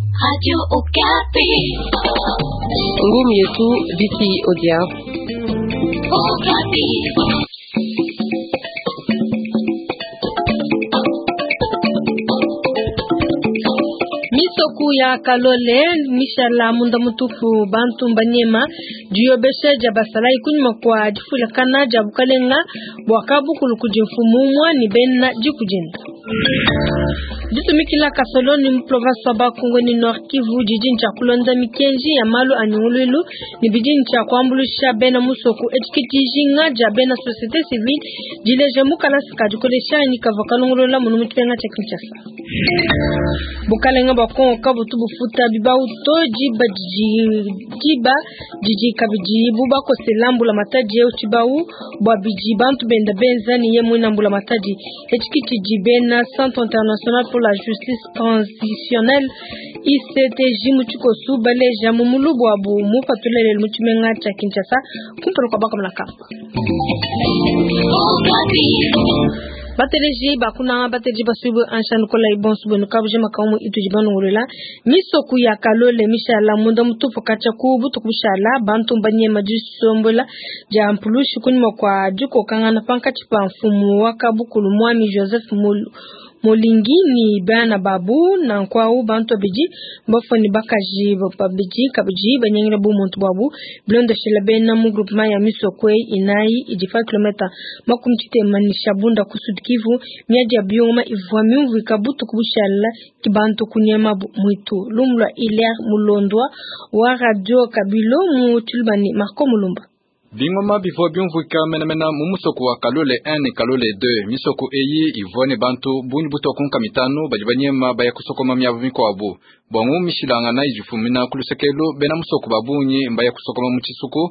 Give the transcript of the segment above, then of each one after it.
Radio Okapi. Ngumi yetu Viki Odia. Okapi. Misoku ya Kalole mishala munda mutupu bantu mbanyema diyobesha dia basalayi kunyima kua difulakana dia bukalenga bua kabukulu kudi mfumu umua ni bena diku dienda. Ditumikila kasoloni mu province wa Bakongo ni Nord Kivu didi ntshia kulonda mikenji ya malu a nyunguluilu ne bidi ntshia kuambuluisha bena musoko etshi ke dijinga dia bena société civile dileja mu kalasa ka dikolesha anyi kavua kalongolola munu mu tshimenga tshia Kinshasa. Bukalenga bua Kongo kabutu bufuta bibawu to diba didi diba didi kabidi bu bakosela mbulamatadi eu tshibawu bua bidi bantu benda benza ne ye muina mbulamatadi. Etshi ke tshidi bena Centre International pour la Justice Transitionnelle ICTJ mu tshikosu baleja mu mulubu wabu mupatula lelu mu tshimenga tshia Kinshasa kumpala kua bakamona kamba. Okapi. Bateleji bakunanga bateleji basuibwe ansha nukola ibonso bwenu kabujima kaumu itudi banungulula misoku ya Kalole mishala munda mutupu katshia ku butuku bushala bantu mbanyema disombola dia mpulushi kunyima kua dikokangana pankatshi pa mfumu wa kabukulu mwami Joseph Mulu Molingi ni bana babu nanku bantu babidi bafua ne bakaji babidi kabidi banyangila bumuntu buabu bilondeshela bena mu groupement ya misoko eyi inayi idi pa kilometa 60 ne Shabunda ku Sud Kivu. Miadi ya biuma ivua miumvuika butuku bushala ki bantu kunyemabu mwitu. Lumu lua Hilaire Mulondwa wa Radio Kabilo mu Tshiluba ne Marco Mulumba. Bingoma bivua biumvuika menamena mu musoko wa Kalole 1 ne Kalole 2. Misoko eyi ivua ne bantu bungi butua ku nkama itanu badi banyema baya kusokoma miaba mikuabu. Bua ngumishilangana idi ifumina ku lusekelu, bena musoko ba bungi mbaya kusokoma mu tshisuku,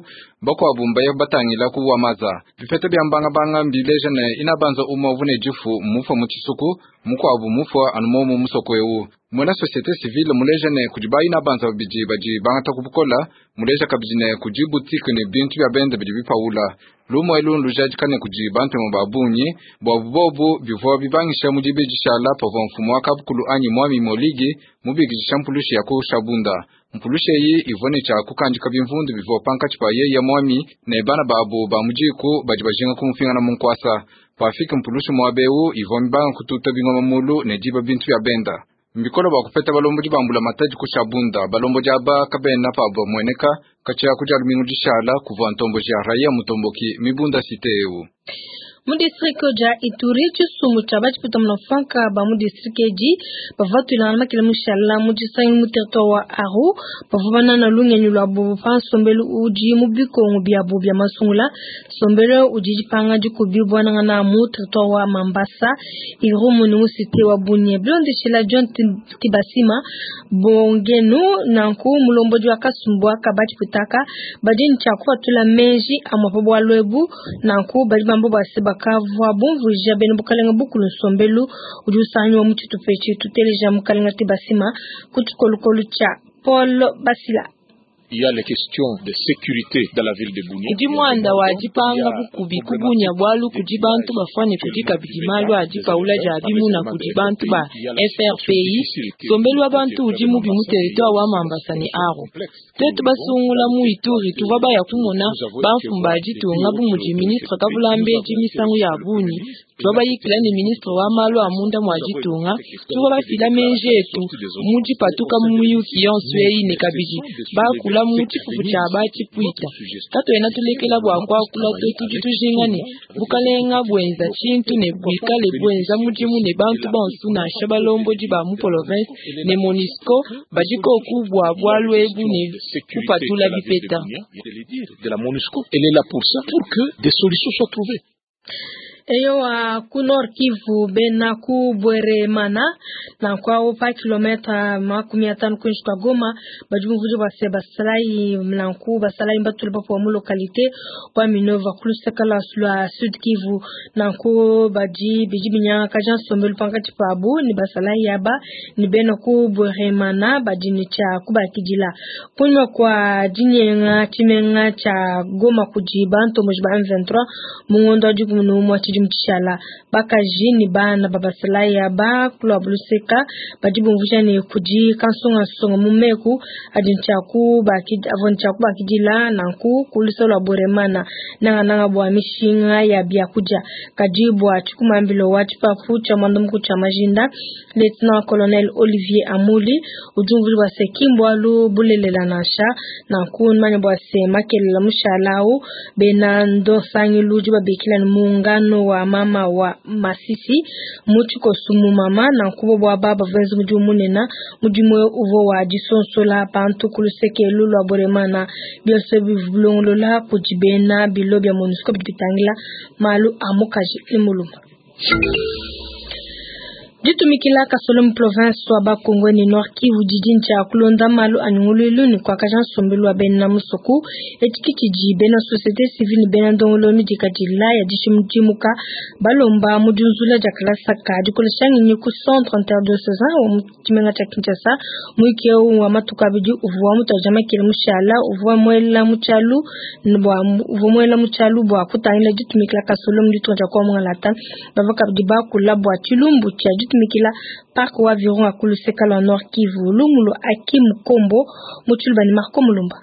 bakuabu mbaya batangila ku Wamaza. Bipeta bia mbangabanga mbileja ne inabanza umue uvua ne difu mmufua mu tshisuku, mukuabu mufua anu momu musoko eu. Muena société civile muleja ne kudi ba inabanza babidi badi bangata ku bukola, muleja kabidi ne kudi boutique ne bintu bia bende bidi bipaula. Lumu elu ndujadika ne kudi bantemu ba bungi bua bobu bivua bibangisha mu dibidi shala pavua mfumu wa kabukulu anyi mwami Moligi mubikidisha mpulushi ya ku Shabunda. Mpulushi eyi ivua ne tshia kukandika bimvundu bivua pankatshi pa yeya mwami ne bana babu ba mu diku badi bajinga kumupingana mu nkuasa. Pafika mpulushi muaba eu ivua mibanga kututa bingoma mulu ne diba bintu bia benda. Mbikolo bua kupeta balombodi ba mbulamatadi ku Shabunda. Balombodi aba kabena pabo bamueneka katshia ku dia lumingu dishala kuvua ntomboji ya raia mutomboki mibunda cité eu. Mu district dia Ituri tshisumbu tshia batshipwita munafuanka ba mu district edi bavua batuilangana makele mushala mu disangilu mu territoire wa Aru bavua banana lungenyi luabu pa nsombelu udi mu bikongo biabu bia masungula. Nsombelu udi dipanga dikubi buanangana mu territoire wa Mambasa Irumu ne mu cité wa Bunia. Bilondeshela John Tibasima Bongenu nanku mulombodi wa kasumbu aka batshipwitaka badi ne tshia kupatula meji amue pa bualu ebu nanku badi bamba bua se bakavua bumvuija bena bukalenga bukulu nsombelu udi usangiwa mu tshitupa etshi. Tuteleja mukalenga Tibasima ku tshikolokolo tshia Paul Basila. Il y a les questions de sécurité dans la ville de Bunia. Kudi muanda wa dipanga bukubi ku Bunia bualu kudi bantu bafuane kudi kabidi malu a dipaula dia bimuna kudi bantu ba FRPI. Nsombelu wa bantu udi mubi mu territoire wa Mambasa ne Aru. Tuetu basungula mu Ituri tuvua baya kumona bamfumu ba ditunga bu mudi ministre Kavulambedi misangu ya bungi. Tuvua bayikila ne ministre wa malu a munda mua ditunga. Tuvua bafila meji etu mu dipatuka mu miyuki yonso eyi ne kabidi bakula mu tshifufu tshia batshipwita. Katuena tulekela bua kuakula to, tudi tujinga ne bukalenga buenza tshintu ne buikale buenza mudimu ne bantu bonso nansha balombodi ba mu province ne MONUSCO badi koku bua bualu ebu ne kupatula bipeta. De la MONUSCO, elle est là pour ça, pour que des solutions soient trouvées. Eyowa ku Nord Kivu bena ku Bweremana nanku awu pa kilomètre 50 kuinshi kua Goma badi bumvuija bua se basalayi nanku basalayi mbatule bapuwa mu localité wa Minova ku luseke lua Sud Kivu nanku badi bidi binyangakaja nsombelu pankatshi pabu ne basalayi aba ne bena ku Bweremana badi ne tshia kubakidila. Kunyima kua dinyenga tshimenga tshia Goma kudi bantomboji ba M23 mu ngondo wa 11 tshidimu. tshidimu tshishala. Bakaji ne bana ba basalayi aba ku luabu luseka badi bumvuija ne kudi kansungansunga mu meku adi avua ne tshia kubakidila nanku ku luse lua Bweremana nangananga bua mishinga ya biakudia. Kadi bua tshikumambilo wa tshipapu tshia muanda mukulu tshia majinda, Lieutenant Colonel Olivier Amuli udi umvuija bua se ki mbualu bulelela nansha. Nanku numanye bua se makelela mushala au bena nsangilu udi babikila ne muungano wa mama wa Masisi mu tshikoso mu mama. Nanku bobu aba bavua benza mudimu munene, mudimu eu uvua wa disonsola bantu ku luseke elu lua Bweremana. Bionso ebi bivua bilongolola kudi bena bilo bia MONUSCO bidi bitangila malu a mukaji ne mulume. Ditumikila kasolo mu province wa Bas-Congo ne Nord Kivu didi ntshia kulonda malu a nyunguluilu ne kuakaja nsombelu wa bena musoku. Etshi ke tshidi bena societe civile ne bena ndongoluelu midikadila ya dishidimuka balomba mu diunzula dia kalasa ka dikolesha ngenyi ku Centre Interdiocesain wa mu tshimenga tshia Kinshasa. Muyuki eu wa matuku abidi uvua mutuadija makele mushala uvua muela mu tshialu bua uvua muela mu tshialu bua kutangila ditumikila kasolo mu ditunga dia Kongo Mungalata. Bavua kabidi bakula bua tshilumbu tshia ditumikila parc wa Virunga ku luseka lua Nord Kivu. Lumu lua Akim Kombo mu tshiluba ne Marco Mulumba.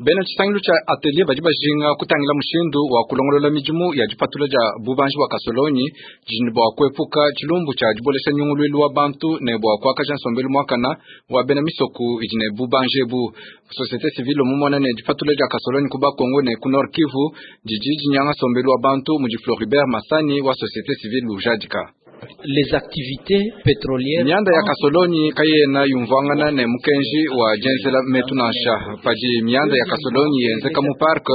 Bena tshisangilu tshia atelier badi bajinga kutangila mushindu wa kulongolola midimu ya dipatula dia bubanji bua kasolonyi didi ne bua kuepuka tshilumbu tshia dibolesha nyunguluilu wa bantu ne bua kuakaja nsombelu muakana wa bena misoku idi ne bubanji ebu. Societe civile mumona ne dipatula dia kasolonyi ku Bas-Congo ne ku Nord Kivu didi dinyanga nsombelu wa bantu mudi Floribert Masani wa societe civile ujadika. Les activités pétrolières. Mianda ya kasolonyi kayena yumvuangana ne mukenji wa dienzela metu nansha. Padi mianda ya kasolonyi yenzeka mu parc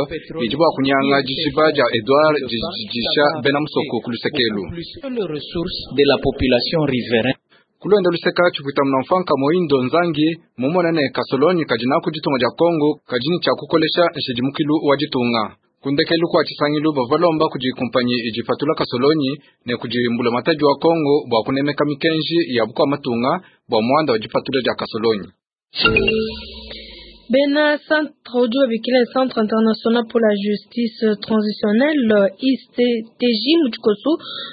idi bua kunyanga dijiba dia Edouard dididisha bena musoko ku lusekelu. Les ressources de la population riveraine. Kulwenda luseka tshipuita munamfanka Moindo Nzangi mumona ne kasolonyi kadi naku ditunga dia Kongo kadi ne tshia kukolesha nshidimukilu wa ditunga. Kundekelu kua tshisangilu bavua balomba kudi kumpanyi idi ipatula kasolonyi ne kudi mbulamatadi wa Kongo bua kunemeka mikenji ya bukua matunga bua muanda wa dipatula dia kasolonyi. Bena centre udi babikila Centre International pour la Justice Transitionnelle ICTJ mu tshikoso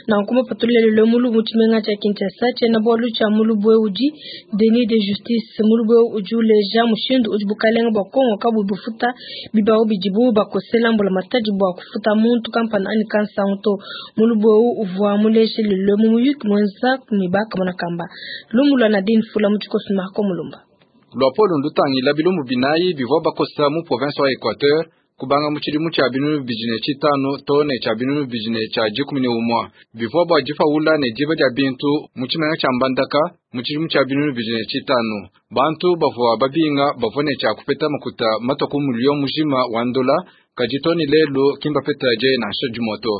nanku mupatulile lelo mulubu mu tshimenga tshia Kinshasa. Tshiena bualu tshia mulubu eu udi déni de justice. Mulubu eu udi uleja mushindu udi bukalenga bua Kongo kabuyi bufuta bibawu bidibu bakosela mbulamatadi bua kufuta muntu kampanda anyi kansangu to. Mulubu eu uvua muleje lelo mu muyuki muenza ne bakamona kamba. Lumu lua Nadine Fula mu tshikoso Marco Mulumba. Luapolo ndutangila bilumbu binayi bivua bakosa mu province wa Equateur kubanga mu tshidimu tshia 2005 to ne tshia 2011 bivua bua dipawula ne diba dia bintu mu tshimenga tshia Mbandaka mu tshidimu tshia 2005. Bantu bavua babinga bavua ne tshia kupeta makuta matua ku miliyo mujima wa ndola, kadi to ne lelu ki mbapeta die nansha dimue to.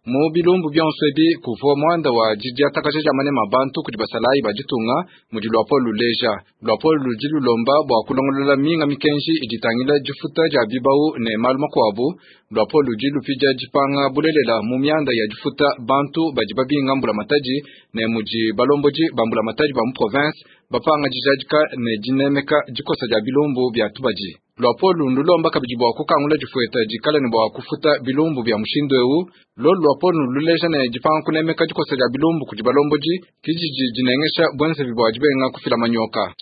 Mu bilumbu bionso ebi kuvua muanda wa didiatakaja dia manema a bantu kudi basalayi ba ditunga mudi luapolo luleja. Luapolo ludi lulomba bua kulongolola minga mikenji idi itangila difuta dia bibawu ne malu makuabu. Luapolo ludi lupidia dipanga bulelela mu mianda ya difuta bantu badi babinga mbulamatadi ne mudi balombodi ba mbulamatadi ba mu province bapanga dijadika ne dinemeka dikosa dia bilumbu bia tubadi. Luapolo ndulomba kabidi bua kukangula difueta dikala ne bua kufuta bilumbu bia mushindu eu. Lolu luapolo luleja ne dipanga kunemeka dikosa dia bilumbu kudi balombodi kididi dinengesha buenzevi bua dibenga kufila manyoka.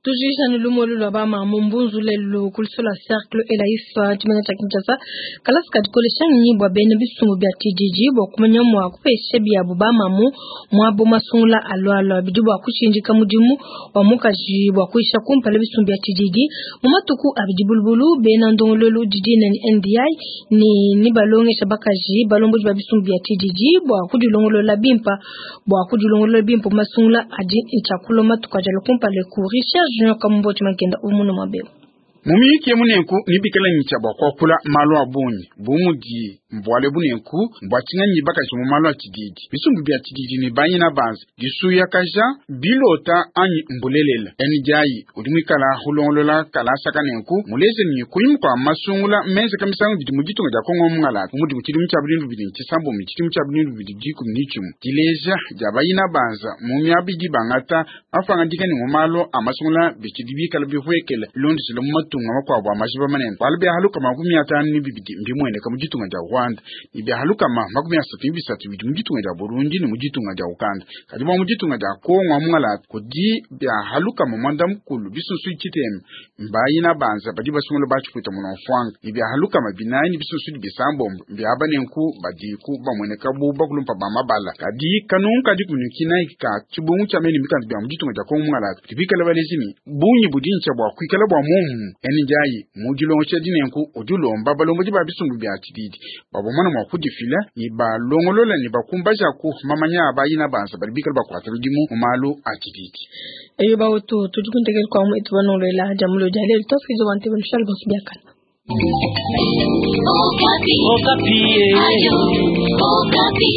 Tujisha ni lumu lwa ba mamu mbunzu lelu ku luseke lua cercle Elaif tshimenga tshia Kinshasa kalasa kadikolesha ngenyi bua bena bisumbu bia tshididi bua kumanya mua kupesha biabu ba mamu muabo masungula alualua bidi bua kushindika mudimu wa mukaji bua kuisha kumpala bisumbu bia tshididi mu matuku abidi bulubulu bena ndongoluelu didi ne NDI ni ni balongesha bakaji balombodi ba bisumbu bia tshididi bua kudilongolola bimpa bua kudilongolola bimpa masungula adi ntshiakulo matuku ajala kumpala ku Richard Junior Kamumbo Tshimankenda umuno mabeu. Mu miyuki emu nenku nibikala nyitsha bua kuakula malu a bungi bu mudi mbuale bunenku mbua tshinganyi bakaji mu malu a tshididi bisumbu bia tshididi ne banyina banza disuyakaja bilota anyi mbulelela NDI udi muikala hulongolola kalasa kanenku muleze ni kunyima kua masungula menze kamisangu bidi mu ditunga dia Kongo mungalata mudi mu tshidimu tshia 2009 tshidimu tshia 2015 dileja dia bayina banza mu miaba idi bangata mapangadika ne mu malu a masungula bitshidi bikala bihuekele londesela mu matu matunga makuabu a majiba manene. Bualu bia 52 mbimueneka mu ditunga dia Rwanda ne bia 33 bidi mu ditunga dia Burundi ne mu ditunga dia Uganda. Kadi bua mu ditunga dia Kongo wa mungalata kudi bia 60 mbayina banza badi basungula batshipwita munomfwanga ne bia 46 mbiaba nenku badiku bamueneka bu bakulumpa ba mabala. Kadi kanungu kadi kunyukina ka tshibungu tshia mene mikanda bia mu ditunga dia Kongo mungalata bikala balezi ni bungi budintsha bua kuikala bua mumu ene ndiayi mu dilongo tshia dinenku udi ulomba balombodi ba bisumbu bia tshididi babomana mua kudifila ni balongolola ni bakumbaja ku mamanya abayina banza badi bikala bakuata midimu mu malu a tshididi. Eyo bawetu tudi kuntekela kwa mu etubanolola jamulo dia lelo twasikiza bantu banushal bonso biakana. Okapi. Okapi. Ayo, Okapi.